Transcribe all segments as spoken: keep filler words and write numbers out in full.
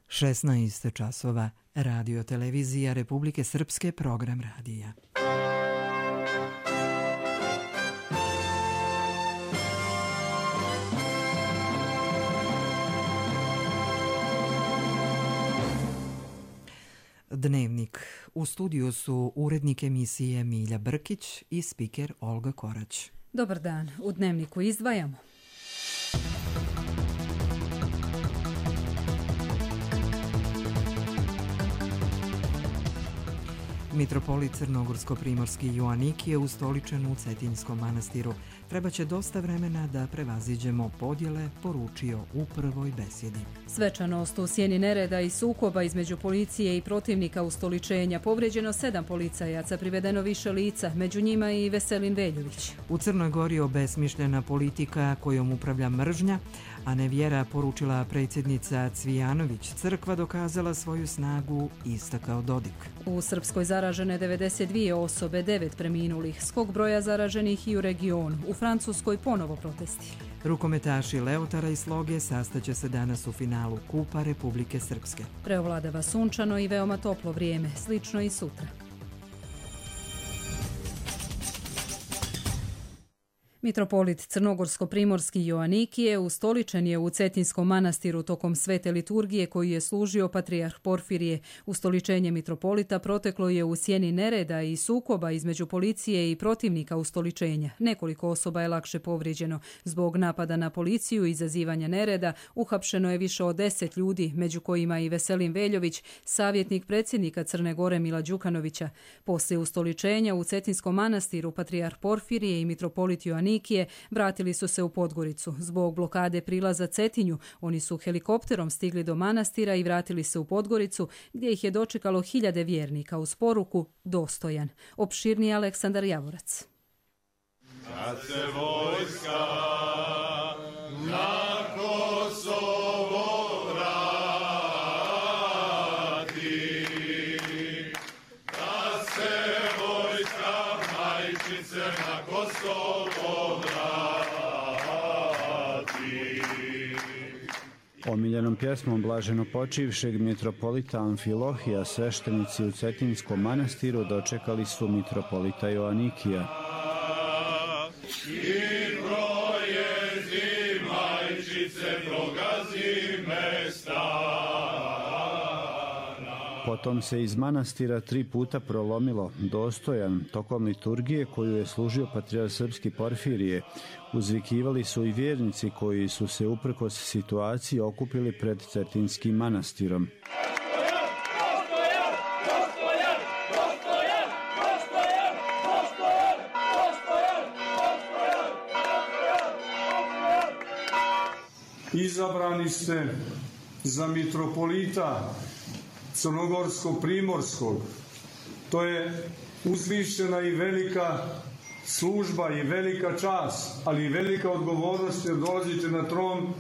šesnaest časova, Radio televizija Republike Srpske, program radija. Dnevnik. U studiju su urednik emisije Milja Brkić i spiker Olga Korać. Dobar dan. U Dnevniku izdvajamo. Mitropolit Crnogorsko-primorski Joanikije je ustoličen u Cetinjskom manastiru. Trebaće dosta vremena da prevaziđemo podjele, poručio u prvoj besjedi. Svečanost u sjeni nereda i sukoba između policije i protivnika ustoličenja. Povrijeđeno sedam policajaca, privedeno više lica, među njima i Veselin Veljović. U Crnoj Gori obesmišljena politika kojom upravlja mržnja, a ne vjera, poručila predsjednica Cvijanović. Crkva dokazala svoju snagu, istakao Dodik. U Srpskoj zaražene devedeset dvije osobe, devet preminulih, skok broja zaraženih i u regionu. U Francuskoj ponovo protesti. Rukometaši Leotara i Sloge sastaće se danas u finalu Kupa Republike Srpske. Preovladava sunčano i veoma toplo vrijeme, slično i sutra. Mitropolit Crnogorsko-primorski Joanikije ustoličen je u Cetinjskom manastiru tokom svete liturgije koju je služio patrijarh Porfirije. Ustoličenje mitropolita proteklo je u sjeni nereda i sukoba između policije i protivnika ustoličenja. Nekoliko osoba je lakše povrijeđeno. Zbog napada na policiju i izazivanja nereda uhapšeno je više od deset ljudi, među kojima i Veselin Veljović, savjetnik predsjednika Crne Gore Mila Đukanovića. Poslije ustoličenja u Cetinjskom manastiru patrijarh Porfirije i mitropolit Joanikije vratili su se u Podgoricu. Zbog blokade prilaza Cetinju, oni su helikopterom stigli do manastira i vratili se u Podgoricu, gdje ih je dočekalo hiljade vjernika uz poruku dostojan. Opširniji Aleksandar Javorac. Kad se vojska na Kosovo vrati, da se vojska majčice na Kosovo Omiljenom pjesmom blaženo počivšeg mitropolita Amfilohija sveštenici u Cetinjskom manastiru dočekali su mitropolita Joanikija. I projezi majčice progazi mesta. Potom se iz manastira tri puta prolomilo dostojan tokom liturgije koju je služio patrijarh srpski Porfirije. Uzvikivali su i vjernici koji su se uprkos situaciji okupili pred Cetinjskim manastirom. Izabrani ste za mitropolita Crnogorsko-primorskog. To je uzvišena i velika služba i velika čast, ali i velika odgovornost jer dolazite na tron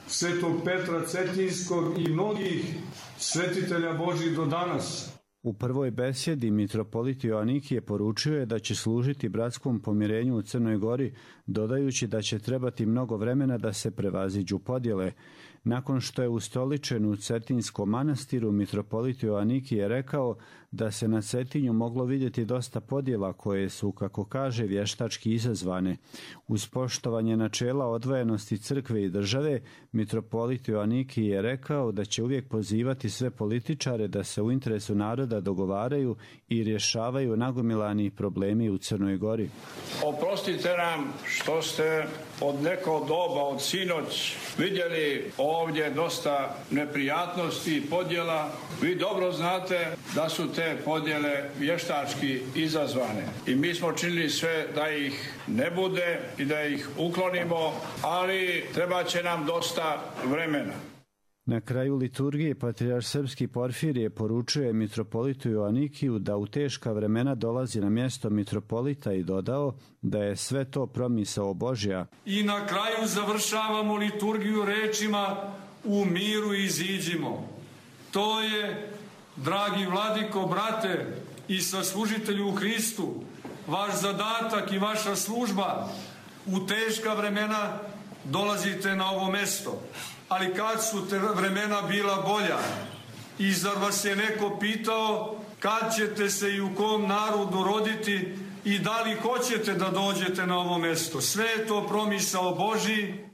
Svetog Petra Cetinjskog i mnogih svetitelja Božih do danas. U prvoj besjedi mitropolit Joanikije poručio je da će služiti bratskom pomirenju u Crnoj Gori, dodajući da će trebati mnogo vremena da se prevaziđu podjele. Nakon što je ustoličen u Cetinjskom manastiru, mitropolit Joanikije rekao da se na Cetinju moglo vidjeti dosta podjela koje su, kako kaže, vještački izazvane. Uz poštovanje načela odvojenosti crkve i države, mitropolit Joanikije je rekao da će uvijek pozivati sve političare da se u interesu naroda dogovaraju i rješavaju nagomilani problemi u Crnoj Gori. Oprostite nam što ste od nekog doba, od sinoć, vidjeli ovdje dosta neprijatnosti i podjela. Vi dobro znate da su te podjele vještački izazvane. I mi smo činili sve da ih ne bude i da ih uklonimo, ali treba će nam dosta vremena. Na kraju liturgije patrijarh srpski Porfirije poručuje mitropolitu Joanikiju da u teška vremena dolazi na mjesto mitropolita i dodao da je sve to promisao Božja. I na kraju završavamo liturgiju rečima u miru iziđimo. To je, dragi vladiko, brate i saslužitelju u Hristu, vaš zadatak i vaša služba. U teška vremena dolazite na ovo mjesto. Ali kad su te vremena bila bolja, I zar vas je neko pitao kad ćete se i u kom narodu roditi i da li hoćete da dođete na ovo mesto? Sve je to promisao Božji.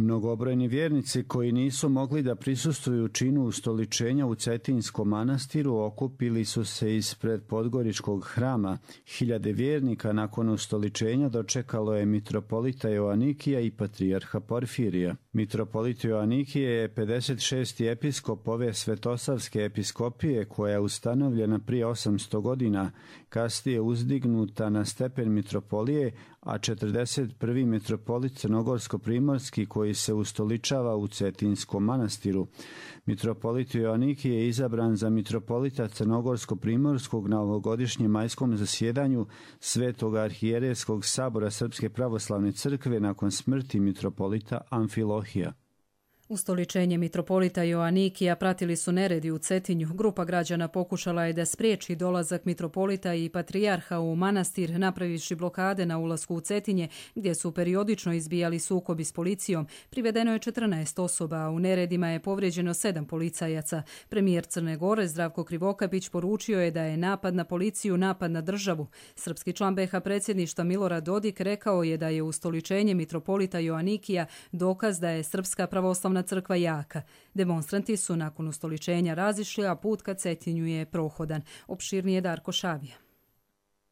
Mnogobrojni vjernici koji nisu mogli da prisustvuju činu ustoličenja u Cetinskom manastiru okupili su se ispred Podgoričkog hrama. Hiljade vjernika nakon ustoličenja dočekalo je mitropolita Joanikija i patrijarha Porfirija. Mitropolit Joanikije je pedeset šesti episkop ove Svetosavske episkopije koja je ustanovljena prije osamsto godina, kasnije uzdignuta na stepen mitropolije, a četrdeset prvi mitropolit Crnogorsko-primorski koji se ustoličava u Cetinskom manastiru. Mitropolit Joanikije je izabran za mitropolita Crnogorsko-primorskog na ovogodišnjem majskom zasjedanju Svetog arhijerejskog sabora Srpske pravoslavne crkve nakon smrti mitropolita Amfilohija. Ustoličenje mitropolita Joanikija pratili su neredi u Cetinju. Grupa građana pokušala je da spriječi dolazak mitropolita i patrijarha u manastir, napravivši blokade na ulasku u Cetinje, gdje su periodično izbijali sukobi s policijom. Privedeno je četrnaest osoba, a u neredima je povrijeđeno sedam policajaca. Premijer Crne Gore Zdravko Krivokapić poručio je da je napad na policiju napad na državu. Srpski član be ha predsjedništva Milorad Dodik rekao je da je ustoličenje mitropolita Joanikija dokaz da je Srpska pravoslavna crkva jaka. Demonstranti su nakon ustoličenja razišli, a put ka Cetinju je prohodan. Opširnije Darko Šavija.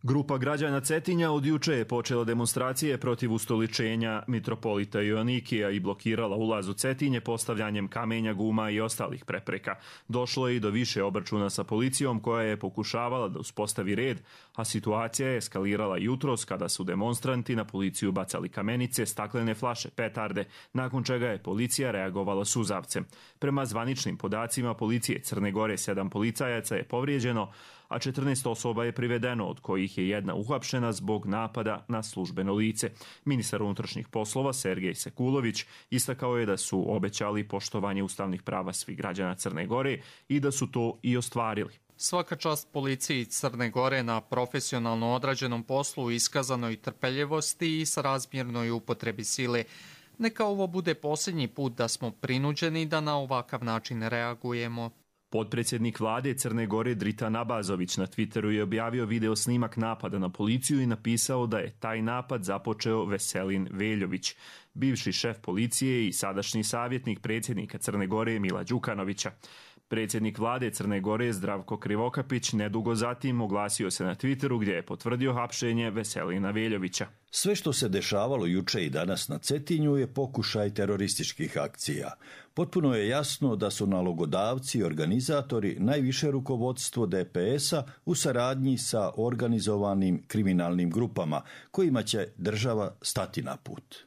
Grupa građana Cetinja od juče je počela demonstracije protiv ustoličenja mitropolita Joanikija i blokirala ulaz u Cetinje postavljanjem kamenja, guma i ostalih prepreka. Došlo je i do više obračuna sa policijom koja je pokušavala da uspostavi red, a situacija je eskalirala jutros kada su demonstranti na policiju bacali kamenice, staklene flaše, petarde, nakon čega je policija reagovala suzavcem. Prema zvaničnim podacima policije Crne Gore sedam policajaca je povrijeđeno, a četrnaest osoba je privedeno, od kojih je jedna uhapšena zbog napada na službeno lice. Ministar unutrašnjih poslova Sergej Sekulović istakao je da su obećali poštovanje ustavnih prava svih građana Crne Gore i da su to i ostvarili. Svaka čast policiji Crne Gore na profesionalno odrađenom poslu, iskazanoj trpeljivosti i srazmjernoj upotrebi sile. Neka ovo bude posljednji put da smo prinuđeni da na ovakav način reagujemo. Potpredsjednik vlade Crne Gore Dritan Abazović na Twitteru je objavio video snimak napada na policiju i napisao da je taj napad započeo Veselin Veljović, bivši šef policije i sadašnji savjetnik predsjednika Crne Gore Mila Đukanovića. Predsjednik vlade Crne Gore Zdravko Krivokapić nedugo zatim oglasio se na Twitteru gdje je potvrdio hapšenje Veselina Veljovića. Sve što se dešavalo juče i danas na Cetinju je pokušaj terorističkih akcija. Potpuno je jasno da su nalogodavci i organizatori najviše rukovodstvo de pe es-a u saradnji sa organizovanim kriminalnim grupama kojima će država stati na put.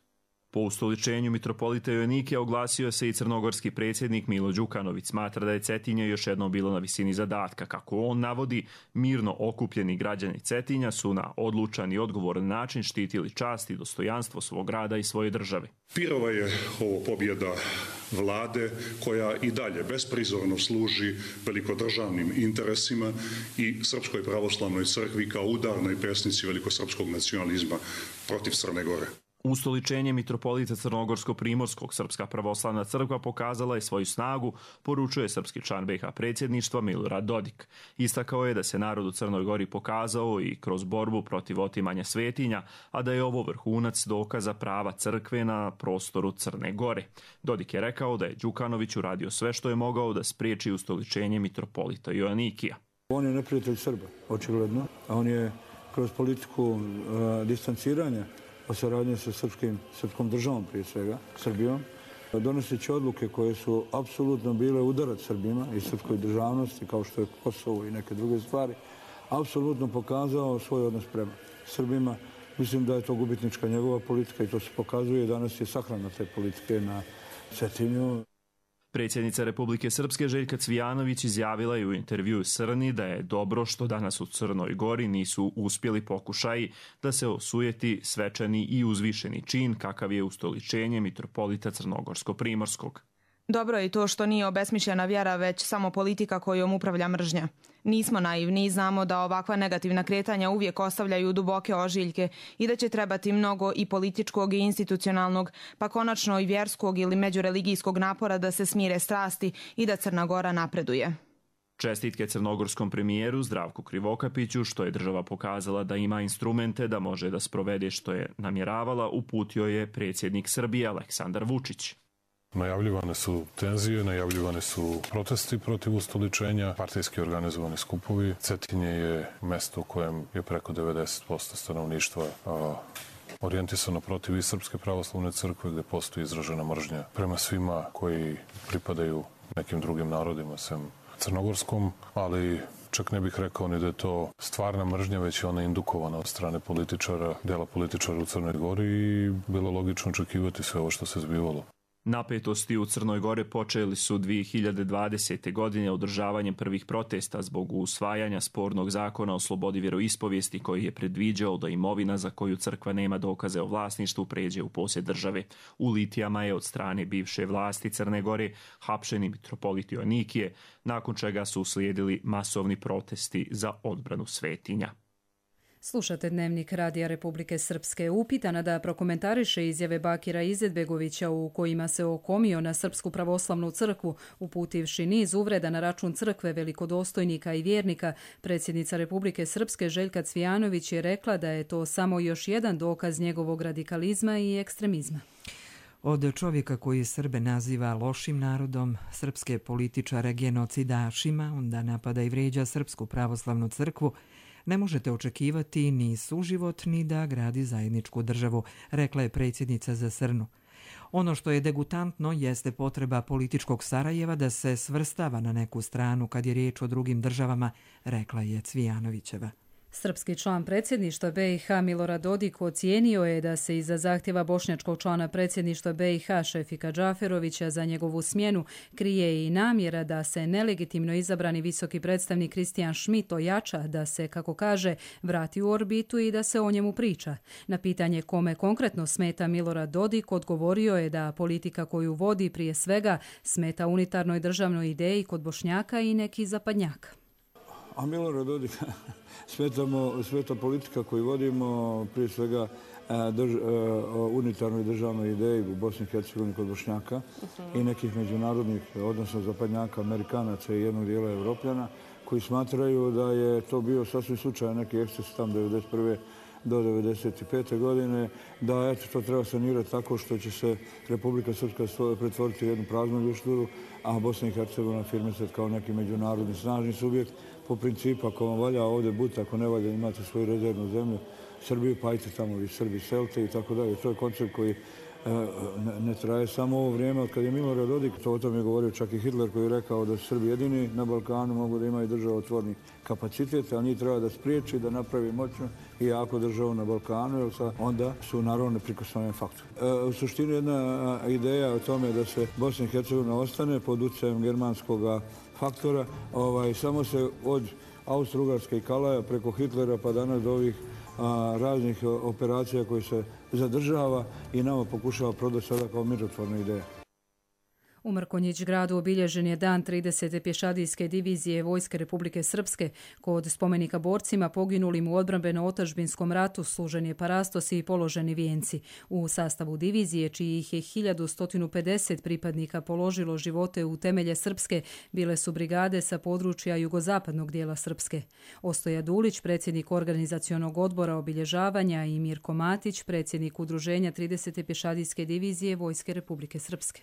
Po ustoličenju mitropolita Joanikija oglasio se i crnogorski predsjednik Milo Đukanović. Smatra da je Cetinje još jednom bilo na visini zadatka. Kako on navodi, mirno okupljeni građani Cetinja su na odlučan i odgovoran način štitili čast i dostojanstvo svog grada i svoje države. Pirova je ovo pobjeda vlade koja i dalje besprizorno služi velikodržavnim interesima i Srpskoj pravoslavnoj crkvi kao udarnoj pesnici velikosrpskog nacionalizma protiv Crne Gore. Ustoličenje mitropolita Crnogorsko-primorskog Srpska pravoslavna crkva pokazala je svoju snagu, poručuje srpski član be ha predsjedništva Milorad Dodik. Istakao je da se narod u Crnoj Gori pokazao i kroz borbu protiv otimanja svetinja, a da je ovo vrhunac dokaza prava crkve na prostoru Crne Gore. Dodik je rekao da je Đukanović uradio sve što je mogao da spriječi ustoličenje mitropolita Joanikija. On je neprijatelj Srba, očigledno, a on je kroz politiku uh, distanciranja o saradnji sa srpskim, srpskom državom, prije svega, Srbijom, donoseći odluke koje su apsolutno bile udarac Srbima i srpskoj državnosti, kao što je Kosovo i neke druge stvari, apsolutno pokazao svoj odnos prema Srbima. Mislim da je to gubitnička njegova politika i to se pokazuje. Danas je sahrana te politike na Cetinju. Predsjednica Republike Srpske Željka Cvijanović izjavila je u intervjuu Srni da je dobro što danas u Crnoj Gori nisu uspjeli pokušaji da se osujeti svečani i uzvišeni čin kakav je ustoličenje mitropolita Crnogorsko-primorskog. Dobro je to što nije obesmišljena vjera, već samo politika kojom upravlja mržnja. Nismo naivni i znamo da ovakva negativna kretanja uvijek ostavljaju duboke ožiljke i da će trebati mnogo i političkog i institucionalnog, pa konačno i vjerskog ili međureligijskog napora da se smire strasti i da Crna Gora napreduje. Čestitke crnogorskom premijeru Zdravku Krivokapiću, što je država pokazala da ima instrumente da može da sprovede što je namjeravala, uputio je predsjednik Srbije Aleksandar Vučić. Najavljivane su tenzije, najavljivane su protesti protiv ustoličenja, partijski organizovani skupovi. Cetinje je mesto u kojem je preko devedeset posto stanovništva a, orijentisano protiv i Srpske pravoslavne crkve, gde postoji izražena mržnja prema svima koji pripadaju nekim drugim narodima, sem crnogorskom, ali čak ne bih rekao ni da je to stvarna mržnja, već je ona indukovana od strane političara, dela političara u Crnoj Gori i bilo logično očekivati sve ovo što se zbivalo. Napetosti u Crnoj Gori počeli su dvije hiljade dvadesete. godine održavanjem prvih protesta zbog usvajanja spornog zakona o slobodi vjeroispovijesti koji je predviđao da imovina za koju crkva nema dokaze o vlasništvu pređe u posjed države. U litijama je od strane bivše vlasti Crne Gore hapšeni mitropolit Joanikije, nakon čega su uslijedili masovni protesti za odbranu svetinja. Slušate Dnevnik Radija Republike Srpske. Upitana da prokomentariše izjave Bakira Izetbegovića u kojima se okomio na Srpsku pravoslavnu crkvu, uputivši niz uvreda na račun crkve, velikodostojnika i vjernika, predsjednica Republike Srpske Željka Cvijanović je rekla da je to samo još jedan dokaz njegovog radikalizma i ekstremizma. Od čovjeka koji Srbe naziva lošim narodom, srpske političare genocidašima, onda napada i vrijeđa Srpsku pravoslavnu crkvu, ne možete očekivati ni suživot ni da gradi zajedničku državu, rekla je predsjednica za Srnu. Ono što je degutantno jeste potreba političkog Sarajeva da se svrstava na neku stranu kad je riječ o drugim državama, rekla je Cvijanovićeva. Srpski član predsjedništva B i H Milorad Dodik ocijenio je da se iza zahtjeva bošnjačkog člana predsjedništva B i H Šefika Džaferovića za njegovu smjenu krije i namjera da se nelegitimno izabrani visoki predstavnik Kristijan Schmidt ojača, da se, kako kaže, vrati u orbitu i da se o njemu priča. Na pitanje kome konkretno smeta Milorad Dodik odgovorio je da politika koju vodi prije svega smeta unitarnoj državnoj ideji kod Bošnjaka i neki zapadnjaka. A Milorad Dodik smetamo, smeta politika koju vodimo, prije svega drž, unitarnoj državnoj ideji u Bosni i Hercegovini kod Bošnjaka uh-huh. i nekih međunarodnih, odnosno zapadnjaka, Amerikanaca i jednog dijela Evropljana, koji smatraju da je to bio sasvim slučajan neki eksces tam devedeset prve do devedeset pete. godine, da eto, to treba sanirati tako što će se Republika Srpska pretvoriti u jednu praznu ljušturu, a Bosna i Hercegovina afirmisati kao neki međunarodni snažni subjekt po principu ako vam valja ovdje buta, ako ne valja imate svoju rezervnu zemlju, Srbiju, pa ajte tamo vi Srbi, selte i tako dalje. To je koncept koji ne, ne traje samo ovo vrijeme. Od kad je Milorad Dodik, to o tom je govorio čak i Hitler koji je rekao da su Srbi jedini na Balkanu mogu da imaju državotvorni kapacitet, a njih treba da spriječi, da napravi moćnu i jako državu na Balkanu, jer onda su naravno neprikosnoven faktor. E, u suštini jedna ideja o tome da se Bosna i Hercegovina ostane pod utjecajem germanskog faktora, ovaj, samo se od Austro-Ugarske i Kalaja preko Hitlera pa danas do ovih a, raznih operacija koje se zadržava i nama pokušava prodati sada kao mirotvorna ideja. U Mrkonjić gradu obilježen je dan tridesete pješadijske divizije Vojske Republike Srpske. Kod spomenika borcima poginulim u odbrambeno-otačbinskom ratu služen je parastos i položeni vijenci. U sastavu divizije, čijih je hiljadu sto pedeset pripadnika položilo živote u temelje Srpske, bile su brigade sa područja jugozapadnog dijela Srpske. Ostoja Dulić, predsjednik organizacionog odbora obilježavanja, i Mirko Matić, predsjednik udruženja tridesete pješadijske divizije Vojske Republike Srpske.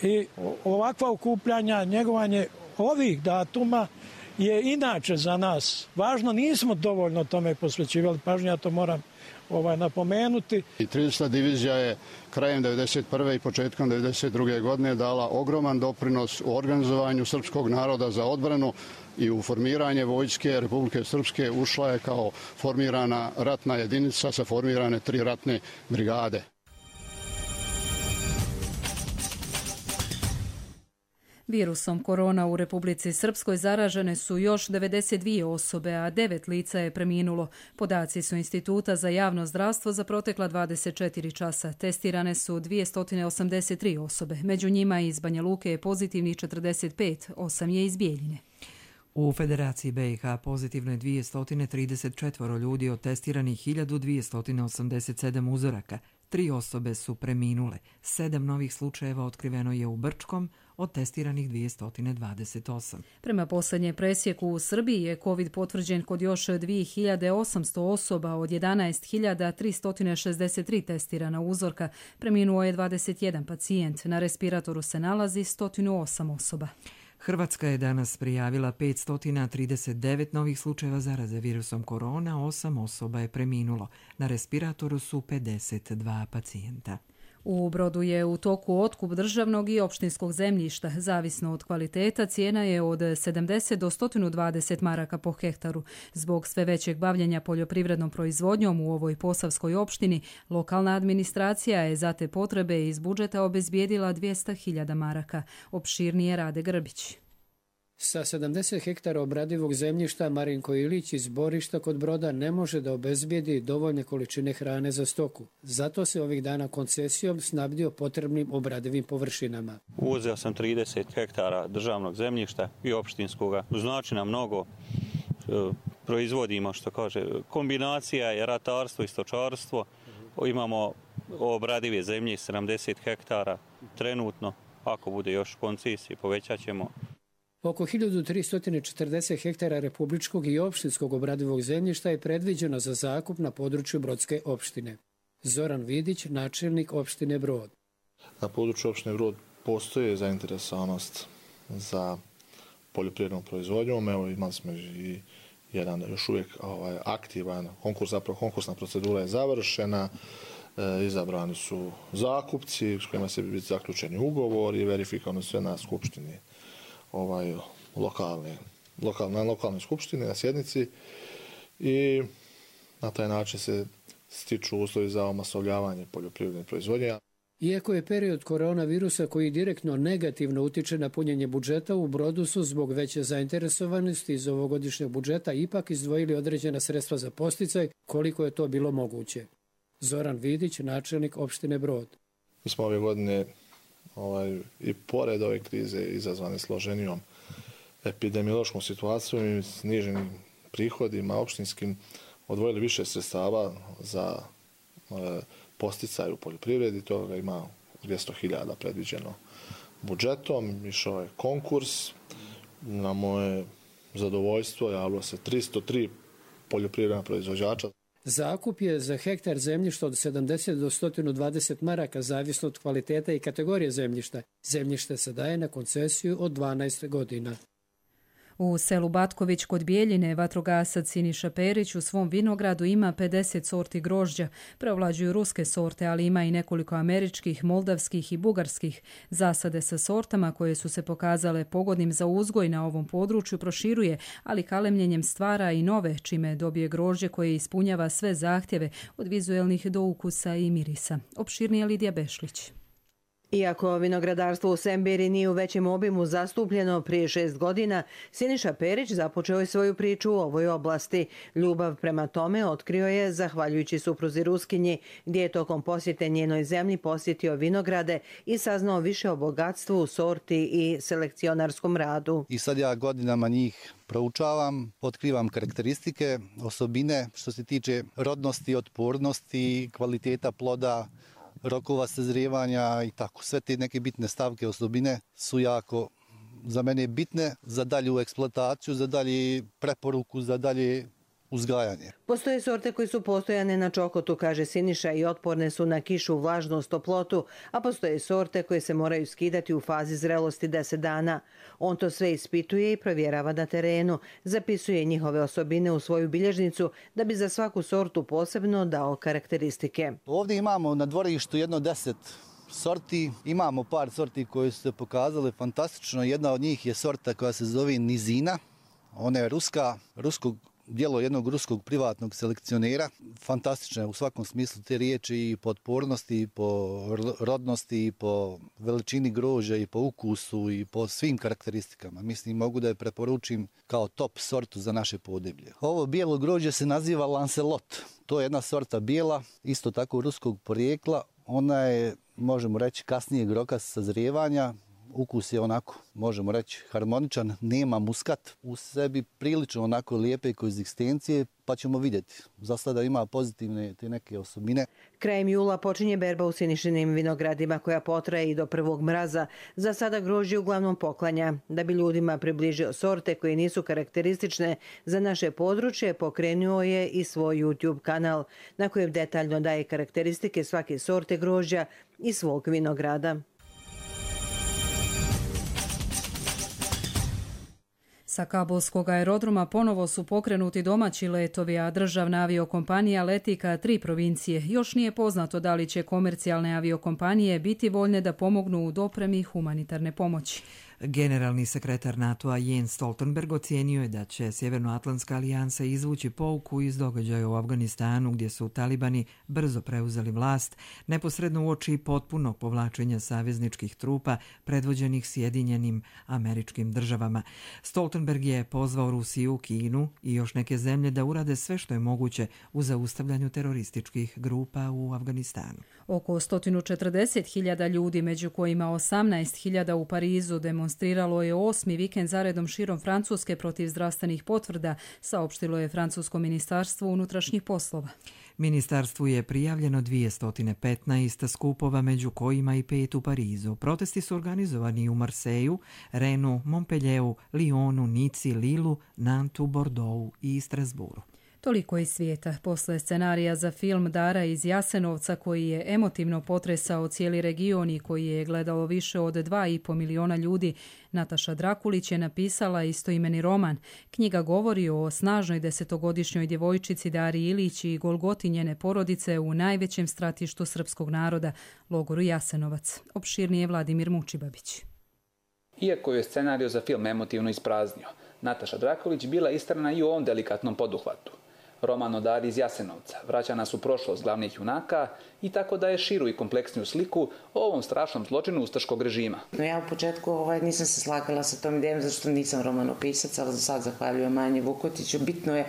I ovakva okupljanja, njegovanje ovih datuma je inače za nas važno. Nismo dovoljno tome posvećivali pažnju, ja to moram ovaj, napomenuti. I trideseta divizija je krajem devedeset prve i početkom devedeset druge. godine dala ogroman doprinos u organizovanju srpskog naroda za odbranu i u formiranje Vojske Republike Srpske ušla je kao formirana ratna jedinica sa formirane tri ratne brigade. Virusom korona u Republici Srpskoj zaražene su još devedeset dvije osobe, a devet lica je preminulo. Podaci su Instituta za javno zdravstvo za protekla dvadeset četiri časa. Testirane su dvjesto osamdeset tri osobe. Među njima iz Banja Luke je pozitivnih četrdeset pet, osam je iz Bijeljine. U Federaciji B i H pozitivno je dvjesto trideset četiri ljudi od testiranih hiljadu dvjesto osamdeset sedam uzoraka. Tri osobe su preminule. Sedam novih slučajeva otkriveno je u Brčkom, od testiranih dvjesto dvadeset osam. Prema posljednje presjeku u Srbiji je COVID potvrđen kod još dvije hiljade osamsto osoba od jedanaest hiljada tristo šezdeset tri testirana uzorka. Preminuo je dvadeset jedan pacijent. Na respiratoru se nalazi sto osam osoba. Hrvatska je danas prijavila petsto trideset devet novih slučajeva zaraze virusom korona, osam osoba je preminulo. Na respiratoru su pedeset dva pacijenta. U Brodu je u toku otkup državnog i opštinskog zemljišta. Zavisno od kvaliteta, cijena je od sedamdeset do sto dvadeset maraka po hektaru. Zbog sve većeg bavljenja poljoprivrednom proizvodnjom u ovoj posavskoj opštini, lokalna administracija je za te potrebe iz budžeta obezbijedila dvjesto hiljada maraka. Opširnije Rade Grbić. Sa sedamdeset hektara obradivog zemljišta Marinko Ilić iz Borišta kod Broda ne može da obezbijedi dovoljne količine hrane za stoku. Zato se ovih dana koncesijom snabdio potrebnim obradivim površinama. Uzeo sam trideset hektara državnog zemljišta i opštinskoga. Znači nam mnogo, proizvodimo, što kaže, kombinacija je ratarstvo i stočarstvo. Imamo obradive zemlje sedamdeset hektara trenutno. Ako bude još koncesije, povećat ćemo. Oko hiljadu tristo četrdeset hektara republičkog i opštinskog obradivog zemljišta je predviđeno za zakup na području Brodske opštine. Zoran Vidić, načelnik opštine Brod. Na području opštine Brod postoje zainteresovanost za poljoprivrednom proizvodnjom. Evo, imali smo i jedan još uvijek ovaj, aktivan konkurs, zapravo konkursna procedura je završena. E, izabrani su zakupci s kojima se bi biti zaključeni ugovor i verifikovano sve na skupštini ovaj, lokalne, lokalne, na lokalnoj skupštini, na sjednici i na taj način se stiču uslovi za omasovljavanje poljoprivredne proizvodnje. Iako je period koronavirusa koji direktno negativno utiče na punjenje budžeta, u Brodu su zbog veće zainteresovanosti iz ovogodišnjeg budžeta ipak izdvojili određena sredstva za posticaj koliko je to bilo moguće. Zoran Vidić, načelnik opštine Brod. Mi smo ove godine ovaj, i pored ove krize izazvane složenijom epidemiološkom situacijom i sniženim prihodima opštinskim odvojili više sredstava za e, posticaj u poljoprivredi. Toga ima dvjesto hiljada predviđeno budžetom. Išao je konkurs. Na moje zadovoljstvo javilo se tristo tri poljoprivredna proizvođača. Zakup je za hektar zemljišta od sedamdeset do sto dvadeset maraka, zavisno od kvaliteta i kategorije zemljišta. Zemljište se daje na koncesiju od dvanaest godina. U selu Batković kod Bijeljine vatrogasac Siniša Perić u svom vinogradu ima pedeset sorti grožđa. Preovlađuju ruske sorte, ali ima i nekoliko američkih, moldavskih i bugarskih. Zasade sa sortama koje su se pokazale pogodnim za uzgoj na ovom području proširuje, ali kalemljenjem stvara i nove, čime dobije grožđe koje ispunjava sve zahtjeve od vizuelnih do ukusa i mirisa. Opširnije Lidija Bešlić. Iako vinogradarstvo u Sembiri nije u većem obimu zastupljeno prije šest godina, Siniša Perić započeo je svoju priču u ovoj oblasti. Ljubav prema tome otkrio je zahvaljujući supruzi Ruskinji, gdje je tokom posjete njenoj zemlji posjetio vinograde i saznao više o bogatstvu, sorti i selekcionarskom radu. I sad ja godinama njih proučavam, otkrivam karakteristike, osobine što se tiče rodnosti, otpornosti, kvaliteta ploda, rokova sazrijevanja i tako. Sve te neke bitne stavke, osobine su jako za mene bitne za dalju eksploataciju, za dalje preporuku, za dalje uzgajanje. Postoje sorte koje su postojane na čokotu, kaže Siniša, i otporne su na kišu, vlažnost, toplotu, a postoje sorte koje se moraju skidati u fazi zrelosti deset dana. On to sve ispituje i provjerava na terenu, zapisuje njihove osobine u svoju bilježnicu da bi za svaku sortu posebno dao karakteristike. Ovdje imamo na dvorištu jedno deset sorti, imamo par sorti koje su se pokazale fantastično. Jedna od njih je sorta koja se zove Nizina, ona je ruska, ruskog djelo jednog ruskog privatnog selekcionera. Fantastično je u svakom smislu te riječi i po otpornosti, i po rodnosti, i po veličini grožđa, i po ukusu, i po svim karakteristikama. Mislim, mogu da je preporučim kao top sortu za naše podeblje. Ovo bijelo grožđe se naziva Lancelot. To je jedna sorta bijela, isto tako ruskog porijekla. Ona je, možemo reći, kasnijeg roka sazrijevanja. ukus je onako, možemo reći, harmoničan, nema muskat, u sebi prilično onako lijepe koegzistencije, pa ćemo vidjeti. Za sada ima pozitivne te neke osobine. Krajem jula počinje berba u Sinišinim vinogradima koja potraje i do prvog mraza. Za sada grožđe uglavnom poklanja. Da bi ljudima približio sorte koje nisu karakteristične za naše područje, pokrenuo je i svoj YouTube kanal na kojem detaljno daje karakteristike svake sorte grožđa i svog vinograda. Sa kabulskog aerodroma ponovo su pokrenuti domaći letovi, a državna aviokompanija leti ka tri provincije. Još nije poznato da li će komercijalne aviokompanije biti voljne da pomognu u dopremi humanitarne pomoći. Generalni sekretar NATO-a Jens Stoltenberg ocijenio je da će Sjevernoatlantska alijansa izvući pouku iz događaja u Afganistanu gdje su talibani brzo preuzeli vlast, neposredno uoči potpunog povlačenja savezničkih trupa predvođenih Sjedinjenim Američkim Državama. Stoltenberg je pozvao Rusiju, Kinu i još neke zemlje da urade sve što je moguće u zaustavljanju terorističkih grupa u Afganistanu. Oko sto četrdeset hiljada ljudi, među kojima osamnaest hiljada u Parizu, demonstriralo je osmi vikend zaredom širom Francuske protiv zdravstvenih potvrda, saopštilo je Francusko ministarstvo unutrašnjih poslova. Ministarstvu je prijavljeno dvjesto petnaest skupova, među kojima i pet u Parizu. Protesti su organizovani u Marseju, Renu, Montpellieru, Lyonu, Nici, Lilu, Nantu, Bordeauxu i Strasbourgu. Toliko iz svijeta. Posle scenarija za film Dara iz Jasenovca, koji je emotivno potresao cijeli region i koji je gledalo više od dva i po miliona ljudi, Nataša Drakulić je napisala istoimeni roman. Knjiga govori o snažnoj desetogodišnjoj djevojčici Dari Ilić i golgoti njene porodice u najvećem stratištu srpskog naroda, logoru Jasenovac. Opširnije Vladimir Mučibabić. Iako je scenarij za film emotivno ispraznio, Nataša Drakulić bila istrana i u ovom delikatnom poduhvatu. Roman o Dari iz Jasenovca vraća nas u prošlost glavnih junaka i tako daje širu i kompleksniju sliku o ovom strašnom zločinu ustaškog režima. No ja u početku ovaj, nisam se slagala sa tom idejom, zato što nisam romanopisac, ali za sad zahvaljujem Anji Vukotiću. Bitno je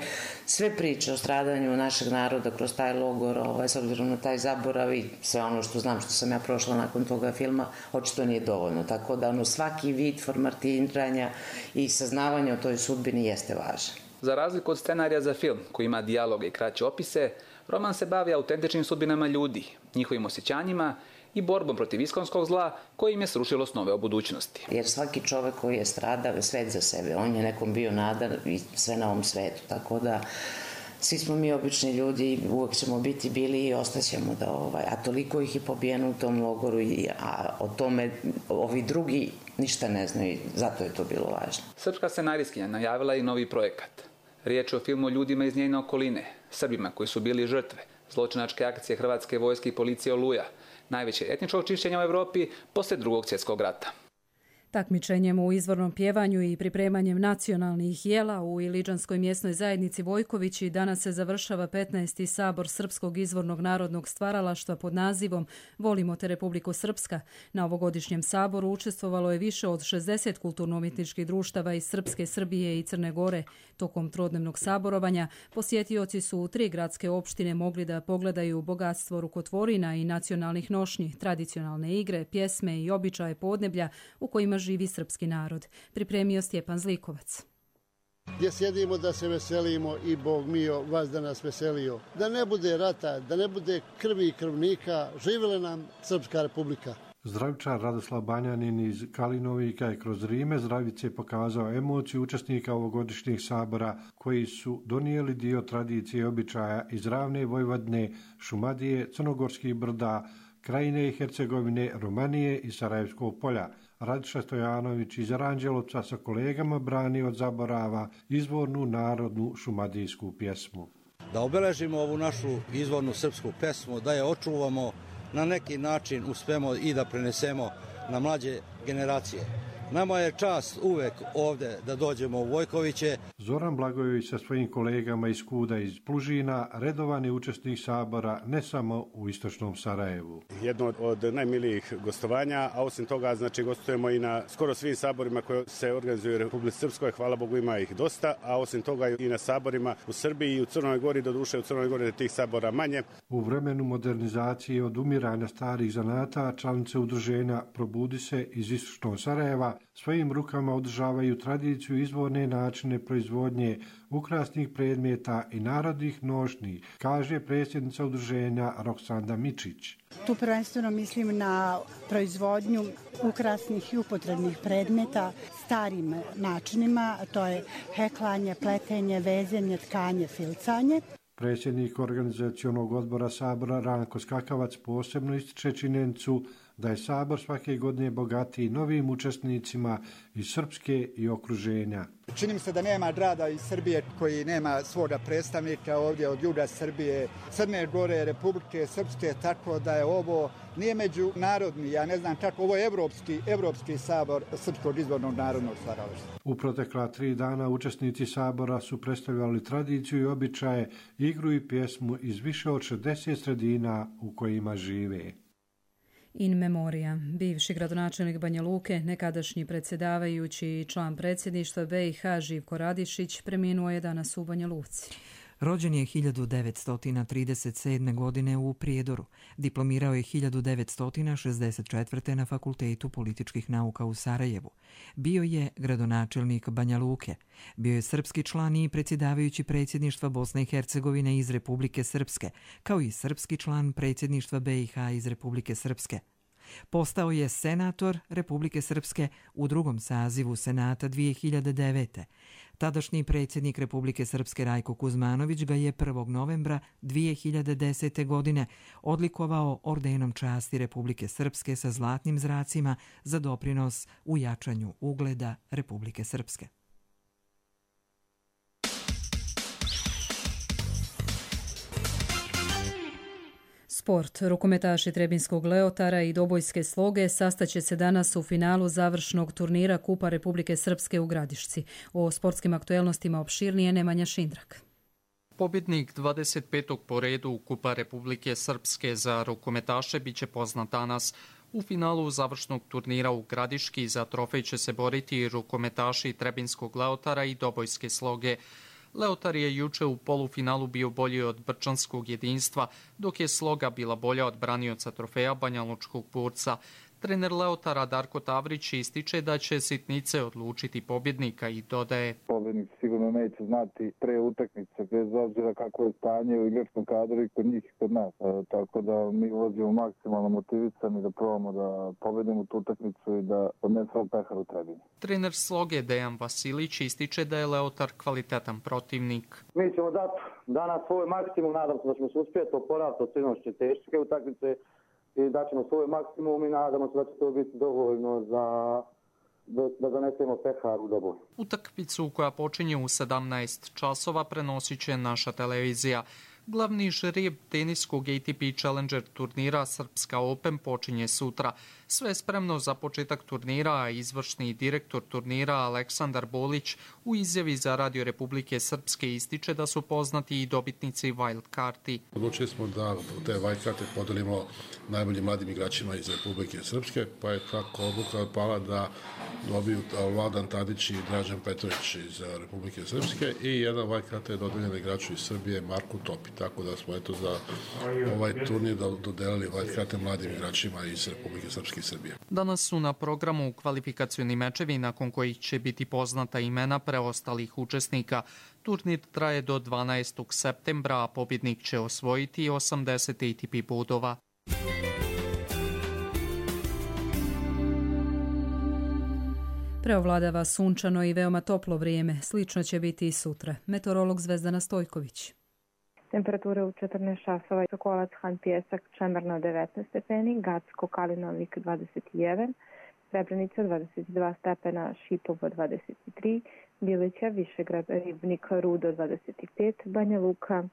sve priče o stradanju našeg naroda kroz taj logor, ovaj, s obzirom na taj zaborav i sve ono što znam što sam ja prošla nakon toga filma, očito nije dovoljno. Tako da ono, svaki vid formatiranja i saznavanja o toj sudbini jeste važan. Za razliku od scenarija za film, koji ima dijaloge i kraće opise, roman se bavi autentičnim sudbinama ljudi, njihovim osjećanjima i borbom protiv iskonskog zla koji im je srušilo snove o budućnosti. Jer svaki čovjek koji je stradao je svet za sebe, on je nekom bio nada i sve na ovom svetu, tako da svi smo mi obični ljudi, uvijek ćemo biti bili i ostaćemo da ovaj, a toliko ih je pobijeno u tom logoru, i, a o tome ovi drugi ništa ne znaju, zato je to bilo važno. Srpska scenarijskinja najavila i novi projekat. Riječ je o filmu o ljudima iz njene okoline, Srbima koji su bili žrtve zločinačke akcije Hrvatske vojske i policije Oluja, najveće etničkog čišćenja u Evropi poslije drugog svjetskog rata. Takmičenjem u izvornom pjevanju i pripremanjem nacionalnih jela u Iliđanskoj mjesnoj zajednici Vojkovići danas se završava petnaesti sabor Srpskog izvornog narodnog stvaralaštva pod nazivom Volimo te Republiku Srpska. Na ovogodišnjem saboru učestvovalo je više od šezdeset kulturno-umjetničkih društava iz Srpske, Srbije i Crne Gore. Tokom trodnevnog saborovanja posjetioci su u tri gradske opštine mogli da pogledaju bogatstvo rukotvorina i nacionalnih nošnji, tradicionalne igre, pjesme i običaje podneblja u kojima živi srpski narod. Pripremio Stjepan Zlikovac. Gdje sjedimo da se veselimo i Bog mio vas da nas veselio. Da ne bude rata, da ne bude krvi i krvnika, živjela nam Srpska republika. Zdravičar Radoslav Banjanin iz Kalinovika je kroz Rime Zdravice pokazao emociju učesnika ovogodišnjih sabora koji su donijeli dio tradicije i običaja iz ravne Vojvodne, Šumadije, Crnogorskih brda, Krajine i Hercegovine, Romanije i Sarajevskog polja. Radiša Stojanović iz Aranđelovca sa kolegama brani od zaborava izvornu narodnu šumadijsku pjesmu. Da obeležimo ovu našu izvornu srpsku pjesmu, da je očuvamo, na neki način uspemo i da prenesemo na mlađe generacije. Nama je čast uvek ovdje da dođemo u Vojkoviće. Zoran Blagojević sa svojim kolegama iz Kuda iz Plužina redovan je učesnik sabora ne samo u istočnom Sarajevu. Jedno od najmilijih gostovanja, a osim toga znači gostujemo i na skoro svim saborima koji se organizuju u Republici Srpskoj, hvala Bogu ima ih dosta, a osim toga i na saborima u Srbiji i u Crnoj Gori, doduše u Crnoj Gori tih sabora manje. U vremenu modernizacije i odumiranja starih zanata, članice udruženja Probudi se iz istočnog Sarajeva svojim rukama održavaju tradiciju izvorne načine proizvodnje ukrasnih predmeta i narodnih nošnji, kaže predsjednica udruženja Roksanda Mičić. Tu prvenstveno mislim na proizvodnju ukrasnih i upotrebnih predmeta starim načinima, to je heklanje, pletenje, vezenje, tkanje, filcanje. Predsjednik organizacionog odbora Sabora Ranko Skakavac posebno ističe činjenicu da je Sabor svake godine bogatiji novim učesnicima iz Srpske i okruženja. Čini mi se da nema grada iz Srbije koji nema svoga predstavnika ovdje od juga Srbije, Crne Gore, Republike Srpske, tako da je ovo nije međunarodni, ja ne znam kako, ovo je evropski, evropski sabor Srpskog izvornog narodnog stvaralaštva. U protekla tri dana učesnici Sabora su predstavljali tradiciju i običaje, igru i pjesmu iz više od šezdeset sredina u kojima žive. In memoria. Bivši gradonačelnik Banja Luke, nekadašnji predsjedavajući i član predsjedništva B i H Živko Radišić preminuo je danas u Banja Luci. Rođen je hiljadu devetsto trideset sedme. godine u Prijedoru. Diplomirao je hiljadu devetsto šezdeset četvrte. na Fakultetu političkih nauka u Sarajevu. Bio je gradonačelnik Banja Luke. Bio je srpski član i predsjedavajući predsjedništva Bosne i Hercegovine iz Republike Srpske, kao i srpski član predsjedništva B i H iz Republike Srpske. Postao je senator Republike Srpske u drugom sazivu Senata dvije hiljade devete. Tadašnji predsjednik Republike Srpske Rajko Kuzmanović ga je prvog novembra dvije hiljade desete. godine odlikovao ordenom časti Republike Srpske sa zlatnim zracima za doprinos u jačanju ugleda Republike Srpske. Sport. Rukometaši Trebinskog Leotara i Dobojske Sloge sastaće se danas u finalu završnog turnira Kupa Republike Srpske u Gradišci. O sportskim aktuelnostima opširnije Nemanja Šindrak. Pobjednik dvadeset petog po redu Kupa Republike Srpske za rukometaše biće poznat danas. U finalu završnog turnira u Gradiški za trofej će se boriti rukometaši Trebinskog Leotara i Dobojske Sloge. Leotar je juče u polufinalu bio bolji od brčanskog jedinstva, dok je Sloga bila bolja od branioca trofeja Banjalučkog Burca. Trener Leotara Darko Tavrić ističe da će sitnice odlučiti pobjednika i dodaje: Pobjednik sigurno neće znati pre utakmice, bez obzira kako je stanje u igračkom kadru i kod njih i kod nas. E, tako da mi ulazimo maksimalno motivisani da probamo da pobedimo tu utakmicu i da odnesemo pehar u Trebinje. Trener Sloge Dejan Vasilić ističe da je Leotar kvalitetan protivnik. Mi ćemo dati danas svoj maksimum, nadam se da ćemo se uspjeti oporaviti od sinoćne teške utakmice i da ćemo svoj maksimum i nadamo se da će to biti dovoljno za da, da donesemo pehar u Doboj. Utakmicu koja počinje u sedamnaest časova prenosit će naša televizija. Glavni žreb teniskog A T P Challenger turnira Srpska Open počinje sutra. Sve je spremno za početak turnira, a izvršni direktor turnira Aleksandar Bolić u izjavi za Radio Republike Srpske ističe da su poznati i dobitnici wild karti. Odlučili smo da te wild karte podelimo najboljim mladim igračima iz Republike Srpske, pa je tako odluka pala da dobiju Vladan Tadić i Dražan Petrović iz Republike Srpske i jedan wild karte je dodeljena igraču iz Srbije Marku Topi. Tako da smo eto za ovaj turnir dodelili wild karte mladim igračima iz Republike Srpske i Srbije. Danas su na programu kvalifikacioni mečevi nakon kojih će biti poznata imena preostalih učesnika. Turnir traje do dvanaestog septembra, a pobjednik će osvojiti osamdeset A T P bodova. Preovladava sunčano i veoma toplo vrijeme. Slično će biti i sutra. Meteorolog Zvezdana Stojković. Temperature u četrnaest časova, Sokolac, Han Pjesak, Čemerno devetnaest stepeni, Gacko, Kalinovik dvadeset jedan, Srebrenica dvadeset dva stepena, Šipovo dvadeset tri, Bilića, Višegrad, Ribnik, Rudo dvadeset pet, Banja Luka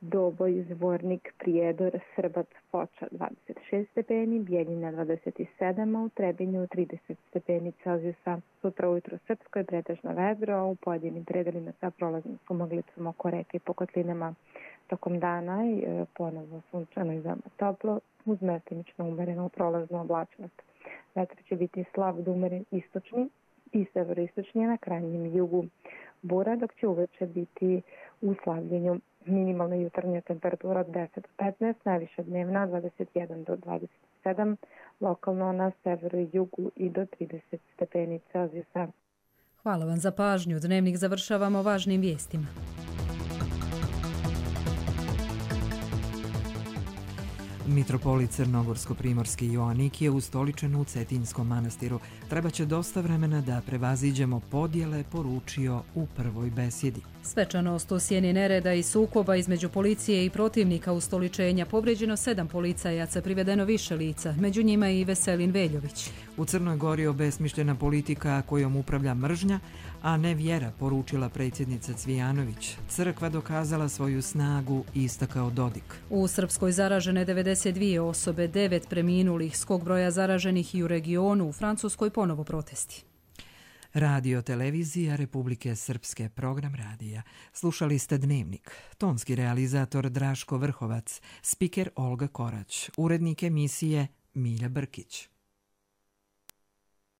Doboj, Zvornik, Prijedor, Srbac, Foča dvadeset šest stepeni, Bijeljina dvadeset sedam, a u Trebinju trideset stepeni Celzijusa. Sutra ujutro srpsko je pretežno vedro, a u pojedinim predelima sa prolaznom sumoglicom oko reke i po kotlinama. Tokom dana je ponovno sunčano i veoma toplo, uz mestimično umerenu prolaznu oblačnost. Vetar će biti slab do umeren istočni i severoistočni na krajnjem jugu. Bura, dok će uveče biti u slavljenju. Minimalna jutarnja temperatura od deset do petnaest, najviša dnevna dvadeset jedan do dvadeset sedam, lokalno na severu i jugu i do trideset stepeni Celzijusa. Hvala vam za pažnju. Dnevnik završavamo važnim vijestima. Mitropolit Crnogorsko-primorski Joanik je ustoličen u Cetinjskom manastiru. Trebaće dosta vremena da prevaziđemo podjele, poručio u prvoj besjedi. Svečanost u sjeni nereda i sukoba između policije i protivnika ustoličenja. Povrijeđeno sedam policajaca, privedeno više lica, među njima i Veselin Veljović. U Crnoj Gori obesmišljena politika kojom upravlja mržnja, a ne vjera, poručila predsjednica Cvijanović. Crkva dokazala svoju snagu, istakao Dodik. U Srpskoj zaražene devedeset dvije osobe, devet preminulih, skok broja zaraženih i u regionu, u Francuskoj ponovo protesti. Radio televizija Republike Srpske, program radija. Slušali ste Dnevnik. Tonski realizator Draško Vrhovac, spiker Olga Korać, urednik emisije Milja Brkić.